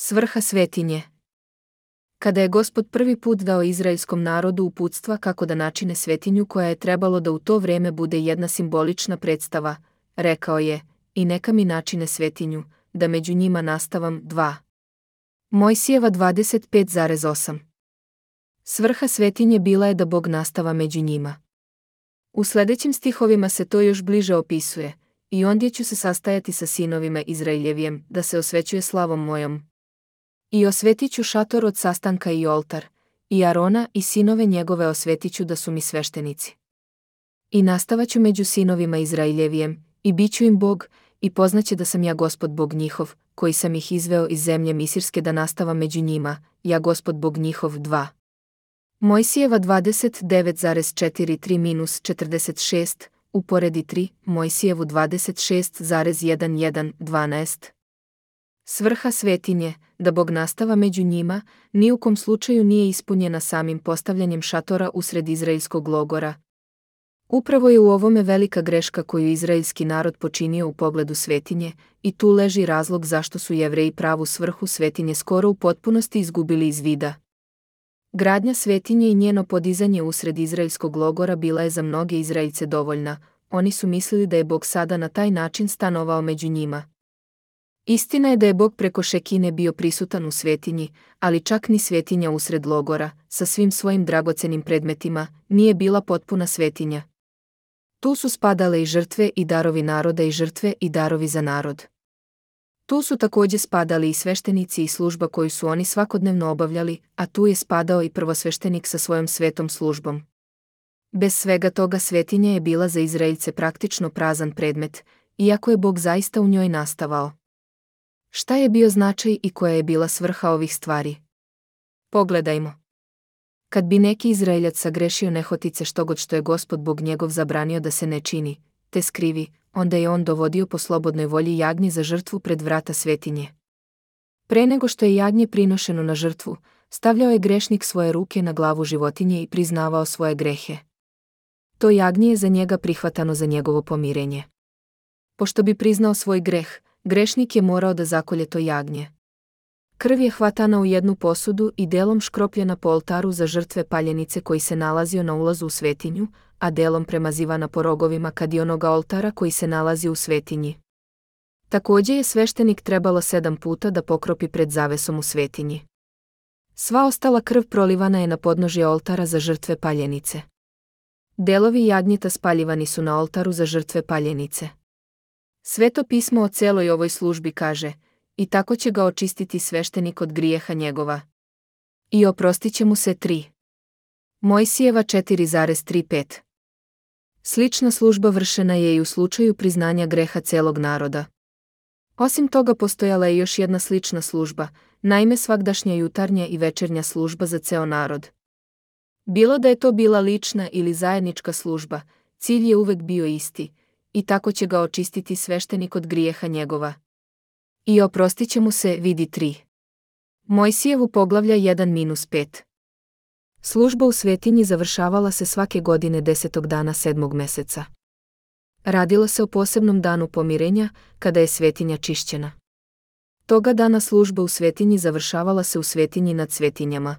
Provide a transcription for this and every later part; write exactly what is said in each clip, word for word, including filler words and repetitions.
Svrha svetinje. Kada je Gospod prvi put dao izraelskom narodu uputstva kako da načine svetinju koja je trebalo da u to vrijeme bude jedna simbolična predstava, rekao je, i neka mi načine svetinju, da među njima nastavam dva. Mojsijeva dvadeset pet zarez osam. Svrha svetinje bila je da Bog nastava među njima. U sljedećim stihovima se to još bliže opisuje, i ondje ću se sastajati sa sinovima Izraeljevijem, da se osvećuje slavom mojom. I osvetit ću šator od sastanka i oltar, i Arona i sinove njegove osvetit ću da su mi sveštenici. I nastavaću među sinovima Izraeljevijem, i bit ću im Bog, i poznaće da sam ja Gospod Bog njihov, koji sam ih izveo iz zemlje Misirske da nastava među njima, ja Gospod Bog njihov dva. Mojsijeva dvadeset devet zarez četrdeset tri četrdeset šest, uporedi tri, Mojsijevu dvadeset šest zarez jedenaest dvanaest. Svrha svetinje, da Bog nastava među njima, ni u kom slučaju nije ispunjena samim postavljanjem šatora usred izraelskog logora. Upravo je u ovome velika greška koju izraelski narod počinio u pogledu svetinje, i tu leži razlog zašto su Jevreji pravu svrhu svetinje skoro u potpunosti izgubili iz vida. Gradnja svetinje i njeno podizanje usred izraelskog logora bila je za mnoge Izraelce dovoljna, oni su mislili da je Bog sada na taj način stanovao među njima. Istina je da je Bog preko Šekine bio prisutan u svetinji, ali čak ni svetinja usred logora, sa svim svojim dragocenim predmetima, nije bila potpuna svetinja. Tu su spadale i žrtve i darovi naroda i žrtve i darovi za narod. Tu su također spadali i sveštenici i služba koju su oni svakodnevno obavljali, a tu je spadao i prvosveštenik sa svojom svetom službom. Bez svega toga svetinja je bila za Izraelce praktično prazan predmet, iako je Bog zaista u njoj nastavao. Šta je bio značaj i koja je bila svrha ovih stvari? Pogledajmo. Kad bi neki Izraeljac sagrešio nehotice štogod što je Gospod Bog njegov zabranio da se ne čini, te skrivi, onda je on dovodio po slobodnoj volji jagnje za žrtvu pred vrata svetinje. Pre nego što je jagnje prinošeno na žrtvu, stavljao je grešnik svoje ruke na glavu životinje i priznavao svoje grehe. To jagnje je za njega prihvatano za njegovo pomirenje. Pošto bi priznao svoj greh, grešnik je morao da zakolje to jagnje. Krv je hvatana u jednu posudu i delom škropljena po oltaru za žrtve paljenice koji se nalazio na ulazu u svetinju, a delom premazivana po rogovima kadionoga oltara koji se nalazi u svetinji. Također je sveštenik trebalo sedam puta da pokropi pred zavesom u svetinji. Sva ostala krv prolivana je na podnožje oltara za žrtve paljenice. Delovi jagnjeta spaljivani su na oltaru za žrtve paljenice. Sveto pismo o celoj ovoj službi kaže, i tako će ga očistiti sveštenik od grijeha njegova. I oprostit će mu se tri. Mojsijeva četiri zarez trideset pet. Slična služba vršena je i u slučaju priznanja greha celog naroda. Osim toga postojala je još jedna slična služba, naime svagdašnja jutarnja i večernja služba za ceo narod. Bilo da je to bila lična ili zajednička služba, cilj je uvek bio isti, i tako će ga očistiti sveštenik od grijeha njegova. I oprostit će mu se, vidi tri. Mojsijevu poglavlja jedan pet. Služba u svetinji završavala se svake godine desetog dana sedmog meseca. Radilo se o posebnom danu pomirenja, kada je svetinja čišćena. Toga dana služba u svetinji završavala se u svetinji nad svetinjama.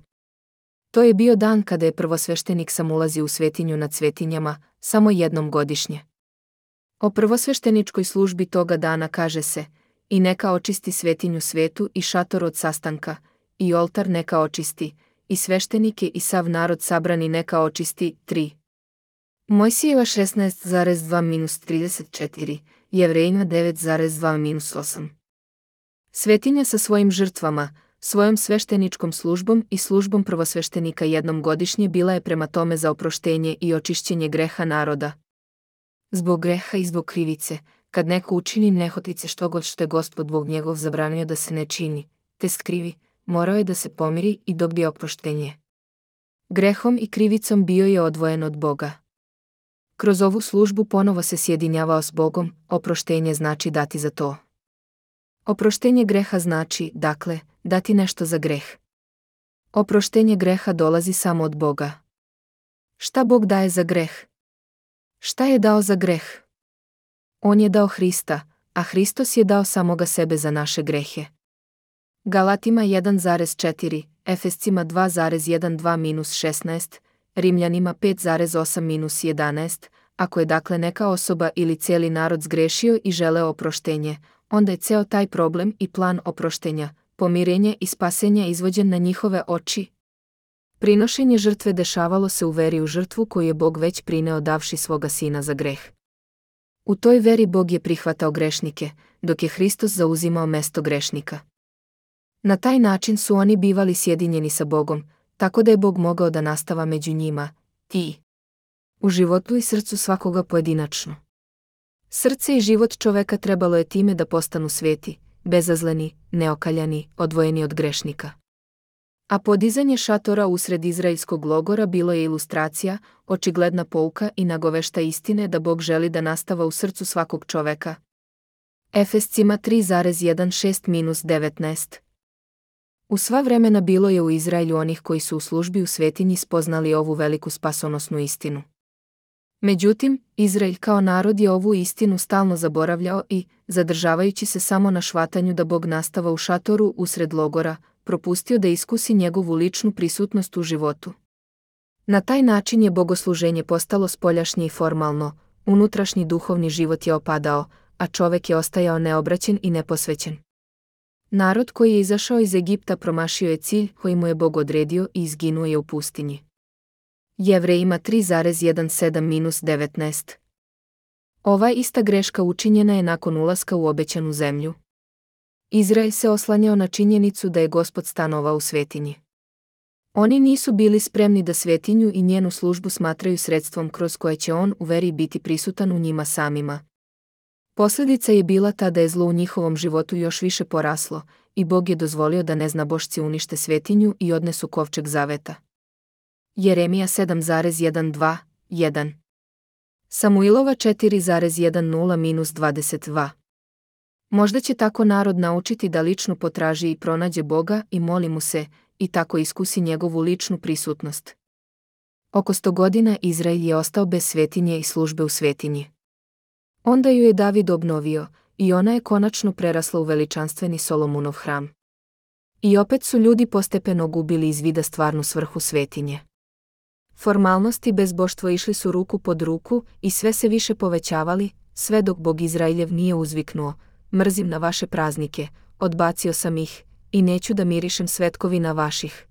To je bio dan kada je prvosveštenik sam ulazio u svetinju nad svetinjama, samo jednom godišnje. O prvosvešteničkoj službi toga dana kaže se, i neka očisti svetinju svetu i šator od sastanka, i oltar neka očisti, i sveštenike i sav narod sabrani neka očisti, tri. Mojsijeva šesnaest zarez dva trideset četiri, Jevrejima devet zarez dva osam. Svetinja sa svojim žrtvama, svojom svešteničkom službom i službom prvosveštenika jednom godišnje bila je prema tome za oproštenje i očišćenje greha naroda. Zbog greha i zbog krivice, kad neko učini nehotice štogod što je Gospod Bog njegov zabranio da se ne čini, te skrivi, morao je da se pomiri i dobije oproštenje. Grehom i krivicom bio je odvojen od Boga. Kroz ovu službu ponovo se sjedinjavao s Bogom, oproštenje znači dati za to. Oproštenje greha znači, dakle, dati nešto za greh. Oproštenje greha dolazi samo od Boga. Šta Bog daje za greh? Šta je dao za greh? On je dao Hrista, a Hristos je dao samoga sebe za naše grehe. Galatima jedan zarez četiri, Efescima dva zarez dvanaest minus šesnaest, Rimljanima pet zarez osam minus jedanaest, ako je dakle neka osoba ili cijeli narod zgrešio i želeo oproštenje, onda je ceo taj problem i plan oproštenja, pomirenje i spasenja izvođen na njihove oči. Prinošenje žrtve dešavalo se u veri u žrtvu koju je Bog već prineo davši svoga sina za greh. U toj veri Bog je prihvatao grešnike, dok je Hristos zauzimao mesto grešnika. Na taj način su oni bivali sjedinjeni sa Bogom, tako da je Bog mogao da nastava među njima, i u životu i srcu svakoga pojedinačno. Srce i život čoveka trebalo je time da postanu sveti, bezazleni, neokaljani, odvojeni od grešnika. A podizanje šatora usred izraelskog logora bilo je ilustracija, očigledna pouka i nagovešta istine da Bog želi da nastava u srcu svakog čoveka. Efescima tri zarez šesnaest minus devetnaest. U sva vremena bilo je u Izraelju onih koji su u službi u svetinji spoznali ovu veliku spasonosnu istinu. Međutim, Izrael kao narod je ovu istinu stalno zaboravljao i, zadržavajući se samo na švatanju da Bog nastava u šatoru usred logora, propustio da iskusi njegovu ličnu prisutnost u životu. Na taj način je bogosluženje postalo spoljašnje i formalno, unutrašnji duhovni život je opadao, a čovek je ostajao neobraćen i neposvećen. Narod koji je izašao iz Egipta promašio je cilj koji mu je Bog odredio i izginuo je u pustinji. Jevrejima tri zarez sedam minus devetnaest. Ova ista greška učinjena je nakon ulaska u obećanu zemlju. Izrael se oslanjao na činjenicu da je Gospod stanovao u svetinji. Oni nisu bili spremni da svetinju i njenu službu smatraju sredstvom kroz koje će on u veri biti prisutan u njima samima. Posljedica je bila ta da je zlo u njihovom životu još više poraslo i Bog je dozvolio da neznabošci unište svetinju i odnesu kovčeg zaveta. Jeremija sedam zarez dvanaest jedan. Samuilova četiri zarez dezet minus dvadeset dva. Možda će tako narod naučiti da lično potraži i pronađe Boga i moli mu se, i tako iskusi njegovu ličnu prisutnost. Oko sto godina Izrael je ostao bez svetinje i službe u svetinji. Onda ju je David obnovio, i ona je konačno prerasla u veličanstveni Solomunov hram. I opet su ljudi postepeno gubili iz vida stvarnu svrhu svetinje. Formalnosti i bezboštvo išli su ruku pod ruku i sve se više povećavali, sve dok Bog Izraeljev nije uzviknuo: mrzim na vaše praznike, odbacio sam ih, i neću da mirišem svetkovina vaših.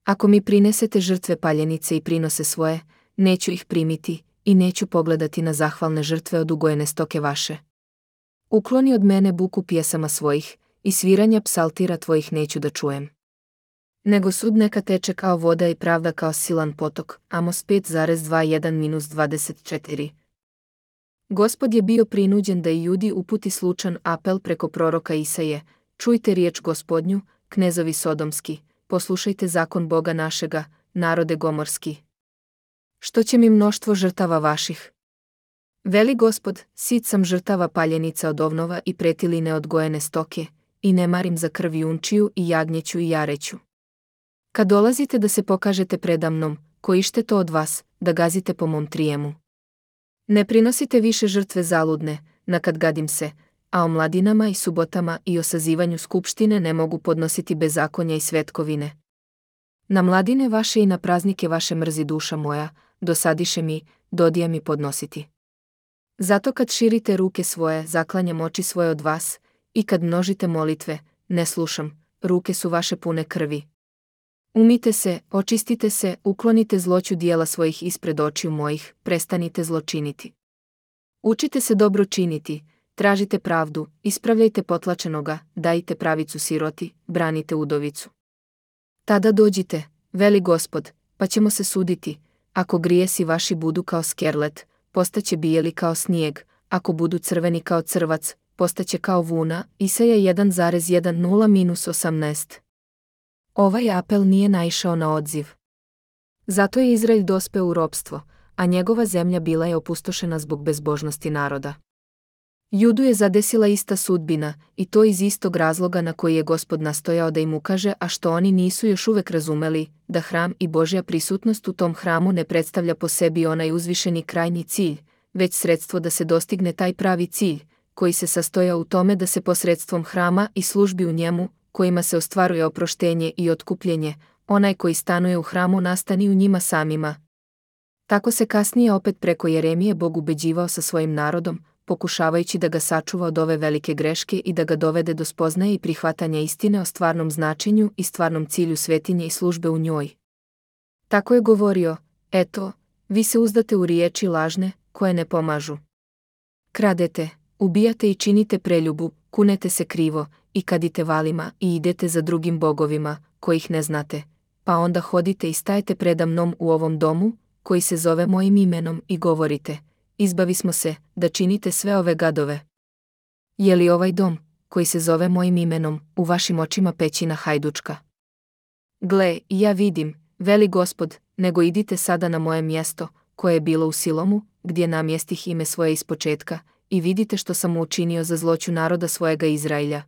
Ako mi prinesete žrtve paljenice i prinose svoje, neću ih primiti, i neću pogledati na zahvalne žrtve od ugojene stoke vaše. Ukloni od mene buku pjesama svojih, i sviranja psaltira tvojih neću da čujem. Nego sud neka teče kao voda i pravda kao silan potok. Amos pet zarez dvadeset jedan minus dvadeset četiri. Gospod je bio prinuđen da i Judi uputi slučan apel preko proroka Isaje: čujte riječ Gospodnju, knezovi sodomski, poslušajte zakon Boga našega, narode gomorski. Što će mi mnoštvo žrtava vaših? Veli Gospod, sit sam žrtava paljenica od ovnova i pretiline odgojene stoke, i ne marim za krv junčiju i jagnjeću i jareću. Kad dolazite da se pokažete predamnom, kojište to od vas, da gazite po mom trijemu. Ne prinosite više žrtve zaludne, na kad gadim se, a o mladinama i subotama i o sazivanju skupštine ne mogu podnositi bezakonja i svetkovine. Na mladine vaše i na praznike vaše mrzi duša moja, dosadiše mi, dodija mi podnositi. Zato kad širite ruke svoje, zaklanjam oči svoje od vas, i kad množite molitve, ne slušam, ruke su vaše pune krvi. Umite se, očistite se, uklonite zloću dijela svojih ispred očiju mojih, prestanite zločiniti. Učite se dobro činiti, tražite pravdu, ispravljajte potlačenoga, dajte pravicu siroti, branite udovicu. Tada dođite, veli Gospod, pa ćemo se suditi. Ako grijesi vaši budu kao skerlet, postaće bijeli kao snijeg, ako budu crveni kao crvac, postaće kao vuna. Isaja jedan zarez dezet minus osamnaest. Ovaj apel nije naišao na odziv. Zato je Izrael dospeo u ropstvo, a njegova zemlja bila je opustošena zbog bezbožnosti naroda. Judu je zadesila ista sudbina, i to iz istog razloga na koji je Gospod nastojao da im ukaže, a što oni nisu još uvek razumeli, da hram i Božja prisutnost u tom hramu ne predstavlja po sebi onaj uzvišeni krajnji cilj, već sredstvo da se dostigne taj pravi cilj, koji se sastoja u tome da se posredstvom hrama i službi u njemu, kojima se ostvaruje oproštenje i otkupljenje, onaj koji stanuje u hramu nastani u njima samima. Tako se kasnije opet preko Jeremije Bog ubeđivao sa svojim narodom, pokušavajući da ga sačuva od ove velike greške i da ga dovede do spoznaje i prihvatanja istine o stvarnom značenju i stvarnom cilju svetinje i službe u njoj. Tako je govorio: eto, vi se uzdate u riječi lažne, koje ne pomažu. Kradete, ubijate i činite preljubu, kunete se krivo, i kadite valima i idete za drugim bogovima, kojih ne znate, pa onda hodite i stajete preda mnom u ovom domu, koji se zove mojim imenom, i govorite: izbavi smo se, da činite sve ove gadove. Je li ovaj dom, koji se zove mojim imenom, u vašim očima pećina hajdučka? Gle, i ja vidim, veli Gospod, nego idite sada na moje mjesto, koje je bilo u Silomu, gdje namjestih ime svoje ispočetka, i vidite što sam mu učinio za zloću naroda svojega Izrailja.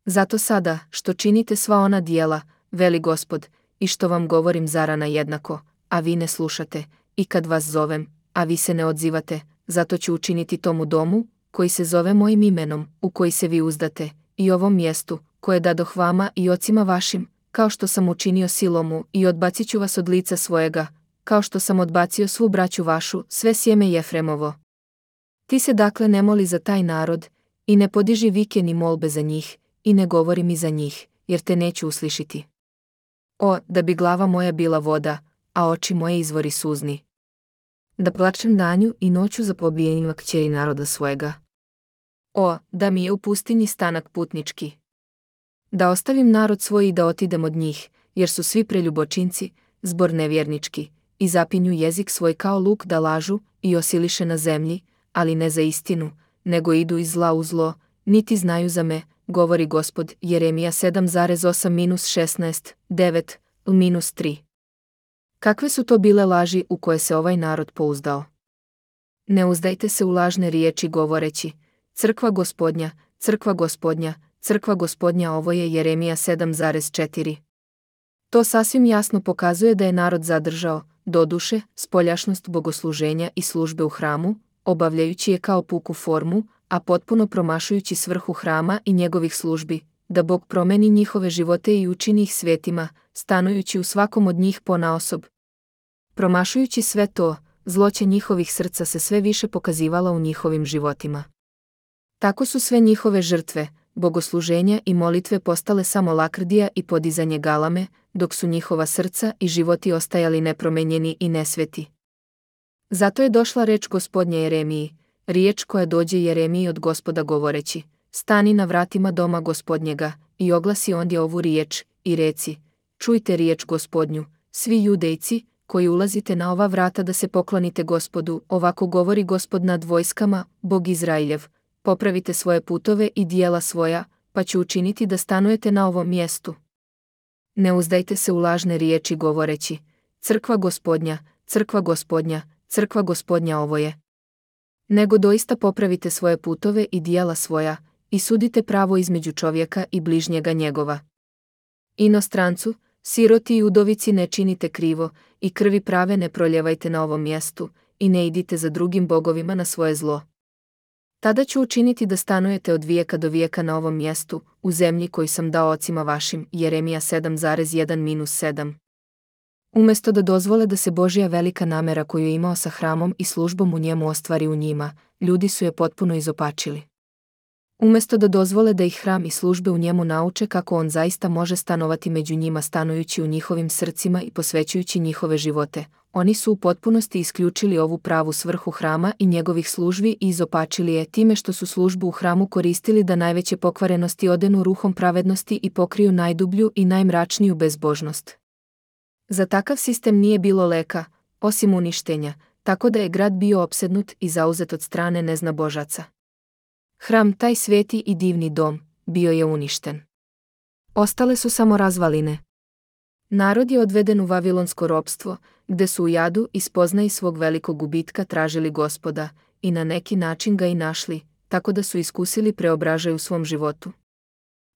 Zato sada, što činite sva ona dijela, veli Gospod, i što vam govorim zarana jednako, a vi ne slušate, i kad vas zovem, a vi se ne odzivate, zato ću učiniti tomu domu, koji se zove mojim imenom, u koji se vi uzdate, i ovom mjestu, koje dadoh vama i ocima vašim, kao što sam učinio Silomu, i odbacit ću vas od lica svojega, kao što sam odbacio svu braću vašu, sve sjeme Jefremovo. Ti se dakle ne moli za taj narod, i ne podiži vike ni molbe za njih, i ne govori mi za njih, jer te neću uslišiti. O, da bi glava moja bila voda, a oči moje izvori suzni. Da plačem danju i noću za pobijenima kćeri naroda svojega. O, da mi je u pustinji stanak putnički. Da ostavim narod svoj i da otidem od njih, jer su svi preljubočinci, zbor nevjernički, i zapinju jezik svoj kao luk da lažu i osiliše na zemlji, ali ne za istinu, nego idu iz zla u zlo, niti znaju za me, govori Gospod. Jeremija sedam osam šesnaest devet tri. Kakve su to bile laži u koje se ovaj narod pouzdao? Ne uzdajte se u lažne riječi govoreći: crkva Gospodnja, crkva Gospodnja, crkva Gospodnja. Ovo je Jeremija sedam četiri. To sasvim jasno pokazuje da je narod zadržao, doduše, spoljašnost bogosluženja i službe u hramu, obavljajući je kao puku formu, a potpuno promašujući svrhu hrama i njegovih službi, da Bog promeni njihove živote i učini ih svetima, stanujući u svakom od njih ponaosob. Promašujući sve to, zloće njihovih srca se sve više pokazivala u njihovim životima. Tako su sve njihove žrtve, bogosluženja i molitve postale samo lakrdija i podizanje galame, dok su njihova srca i životi ostajali nepromenjeni i nesveti. Zato je došla reč Gospodnja Jeremiji, riječ koja dođe Jeremiji od Gospoda govoreći: stani na vratima doma Gospodnjega, i oglasi ondje ovu riječ, i reci: čujte riječ Gospodnju, svi Judejci, koji ulazite na ova vrata da se poklonite Gospodu, ovako govori Gospod nad vojskama, Bog Izrailjev: popravite svoje putove i dijela svoja, pa ću učiniti da stanujete na ovom mjestu. Ne uzdajte se u lažne riječi govoreći: crkva Gospodnja, crkva Gospodnja, crkva Gospodnja ovo je. Nego doista popravite svoje putove i dijela svoja, i sudite pravo između čovjeka i bližnjega njegova. Inostrancu, siroti i udovici ne činite krivo, i krvi prave ne proljevajte na ovom mjestu, i ne idite za drugim bogovima na svoje zlo. Tada ću učiniti da stanujete od vijeka do vijeka na ovom mjestu, u zemlji koju sam dao ocima vašim. Jeremija sedam jedan sedam. Umjesto da dozvole da se Božja velika namera koju je imao sa hramom i službom u njemu ostvari u njima, ljudi su je potpuno izopačili. Umjesto da dozvole da ih hram i službe u njemu nauče kako on zaista može stanovati među njima stanujući u njihovim srcima i posvećujući njihove živote, oni su u potpunosti isključili ovu pravu svrhu hrama i njegovih službi i izopačili je time što su službu u hramu koristili da najveće pokvarenosti odenu ruhom pravednosti i pokriju najdublju i najmračniju bezbožnost. Za takav sistem nije bilo leka, osim uništenja, tako da je grad bio opsednut i zauzet od strane neznabožaca. Hram, taj sveti i divni dom, bio je uništen. Ostale su samo razvaline. Narod je odveden u vavilonsko ropstvo, gde su u jadu i spoznaji svog velikog gubitka tražili Gospoda, i na neki način ga i našli, tako da su iskusili preobražaj u svom životu.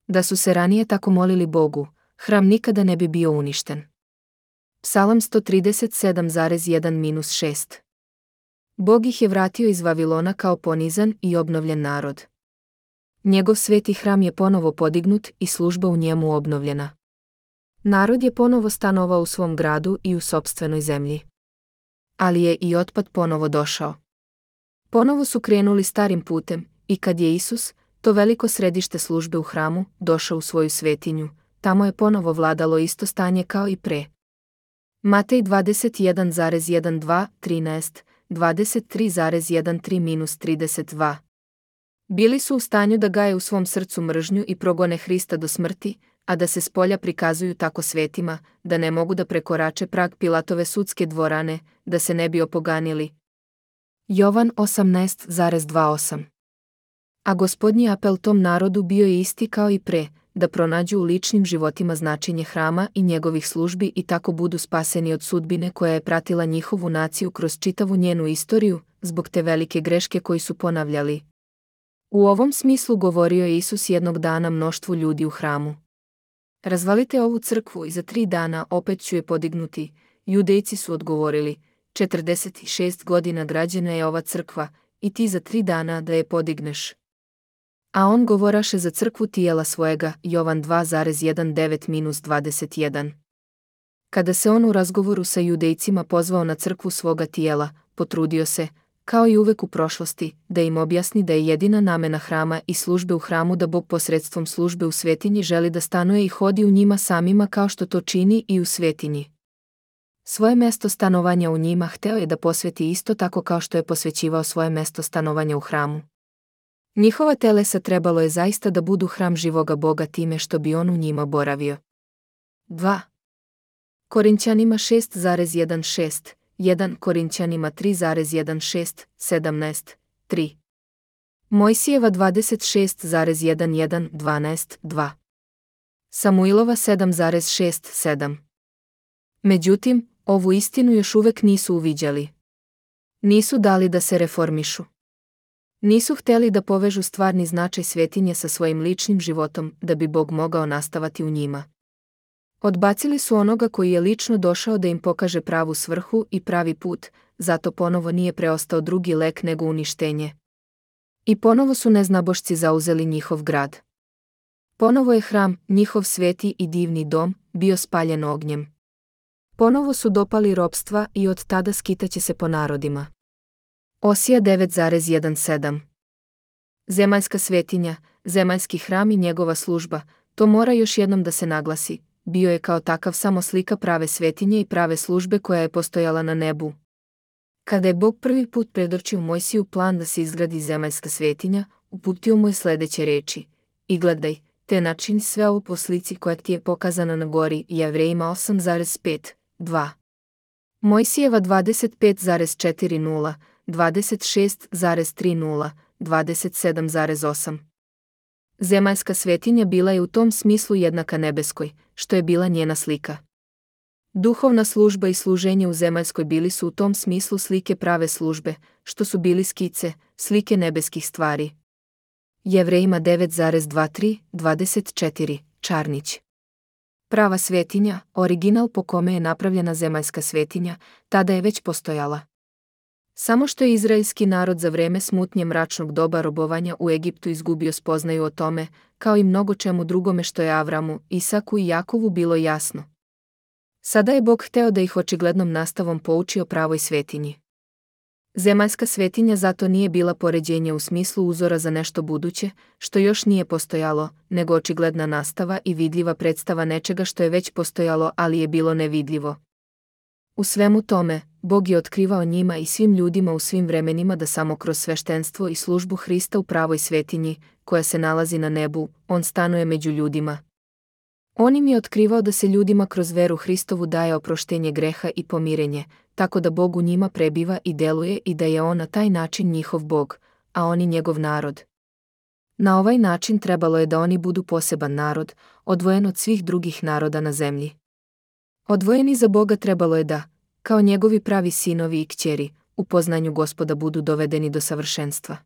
Da su se ranije tako molili Bogu, hram nikada ne bi bio uništen. Psalam sto trideset sedam jedan šest. Bog ih je vratio iz Vavilona kao ponizan i obnovljen narod. Njegov sveti hram je ponovo podignut i služba u njemu obnovljena. Narod je ponovo stanovao u svom gradu i u sopstvenoj zemlji. Ali je i otpad ponovo došao. Ponovo su krenuli starim putem i kad je Isus, to veliko središte službe u hramu, došao u svoju svetinju, tamo je ponovo vladalo isto stanje kao i pre. Matej dvadeset jedan zarez dvanaest, trinaest, dvadeset tri zarez trinaest trideset dva. Bili su u stanju da gaje u svom srcu mržnju i progone Hrista do smrti, a da se spolja prikazuju tako svetima, da ne mogu da prekorače prag Pilatove sudske dvorane, da se ne bi opoganili. Jovan osamnaest zarez dvadeset osam. A Gospodnji apel tom narodu bio je isti kao i pre, da pronađu u ličnim životima značenje hrama i njegovih službi i tako budu spaseni od sudbine koja je pratila njihovu naciju kroz čitavu njenu istoriju, zbog te velike greške koji su ponavljali. U ovom smislu govorio je Isus jednog dana mnoštvu ljudi u hramu. Razvalite ovu crkvu i za tri dana opet ću je podignuti. Judejci su odgovorili, četrdeset šest godina građena je ova crkva, i ti za tri dana da je podigneš. A on govoraše za crkvu tijela svojega, Jovan dva zarez devetnaest do dvadeset jedan. Kada se on u razgovoru sa Judejcima pozvao na crkvu svoga tijela, potrudio se, kao i uvek u prošlosti, da im objasni da je jedina namena hrama i službe u hramu da Bog posredstvom službe u svetinji želi da stanuje i hodi u njima samima kao što to čini i u svetinji. Svoje mesto stanovanja u njima hteo je da posveti isto tako kao što je posvećivao svoje mesto stanovanja u hramu. Njihova telesa trebalo je zaista da budu hram živoga Boga time što bi on u njima boravio. dva. Korinćanima šest zarez šesnaest, jedan Korinćanima tri zarez šesnaest, sedamnaest, tri. Mojsijeva dvadeset šest zarez jedenaest, dvanaest, dva. Samuilova sedam zarez šest, sedam. Međutim, ovu istinu još uvek nisu uviđali. Nisu dali da se reformišu. Nisu hteli da povežu stvarni značaj svetinje sa svojim ličnim životom, da bi Bog mogao nastavati u njima. Odbacili su onoga koji je lično došao da im pokaže pravu svrhu i pravi put, zato ponovo nije preostao drugi lek nego uništenje. I ponovo su neznabošci zauzeli njihov grad. Ponovo je hram, njihov sveti i divni dom, bio spaljen ognjem. Ponovo su dopali ropstva i od tada skitaće se po narodima. Osija devet zarez sedam. Zemaljska svetinja, zemaljski hram i njegova služba, to mora još jednom da se naglasi, bio je kao takav samo slika prave svetinje i prave službe koja je postojala na nebu. Kada je Bog prvi put predočio Mojsiju plan da se izgradi zemaljska svetinja, uputio mu je sledeće reči: I gledaj, te načini sve ovo po slici koja ti je pokazana na gori, Jevrejima osam zarez pet, dva. Mojsijeva dvadeset pet zarez četrdeset, dvadeset šest zarez trideset, dvadeset sedam zarez osam. Zemaljska svetinja bila je u tom smislu jednaka nebeskoj, što je bila njena slika. Duhovna služba i služenje u zemaljskoj bili su u tom smislu slike prave službe, što su bili skice, slike nebeskih stvari. Jevrejima devet zarez dvadeset tri, dvadeset četiri, Čarnić. Prava svetinja, original po kome je napravljena zemaljska svetinja, tada je već postojala. Samo što je izraelski narod za vreme smutnje mračnog doba robovanja u Egiptu izgubio spoznaju o tome, kao i mnogo čemu drugome što je Avramu, Isaku i Jakovu bilo jasno. Sada je Bog hteo da ih očiglednom nastavom pouči o pravoj svetinji. Zemaljska svetinja zato nije bila poređenje u smislu uzora za nešto buduće, što još nije postojalo, nego očigledna nastava i vidljiva predstava nečega što je već postojalo, ali je bilo nevidljivo. U svemu tome, Bog je otkrivao njima i svim ljudima u svim vremenima da samo kroz sveštenstvo i službu Hrista u pravoj svetinji, koja se nalazi na nebu, on stanuje među ljudima. On im je otkrivao da se ljudima kroz veru Hristovu daje oproštenje greha i pomirenje, tako da Bog u njima prebiva i deluje i da je on na taj način njihov Bog, a oni njegov narod. Na ovaj način trebalo je da oni budu poseban narod, odvojen od svih drugih naroda na zemlji. Odvojeni za Boga trebalo je da, kao njegovi pravi sinovi i kćeri, u poznanju Gospoda budu dovedeni do savršenstva.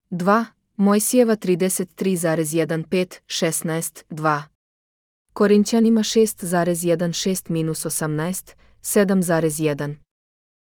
dva. Mojsijeva trideset tri zarez pet, šesnaest, dva. Korinćanima šest zarez šesnaest, osamnaest, sedam zarez jedan.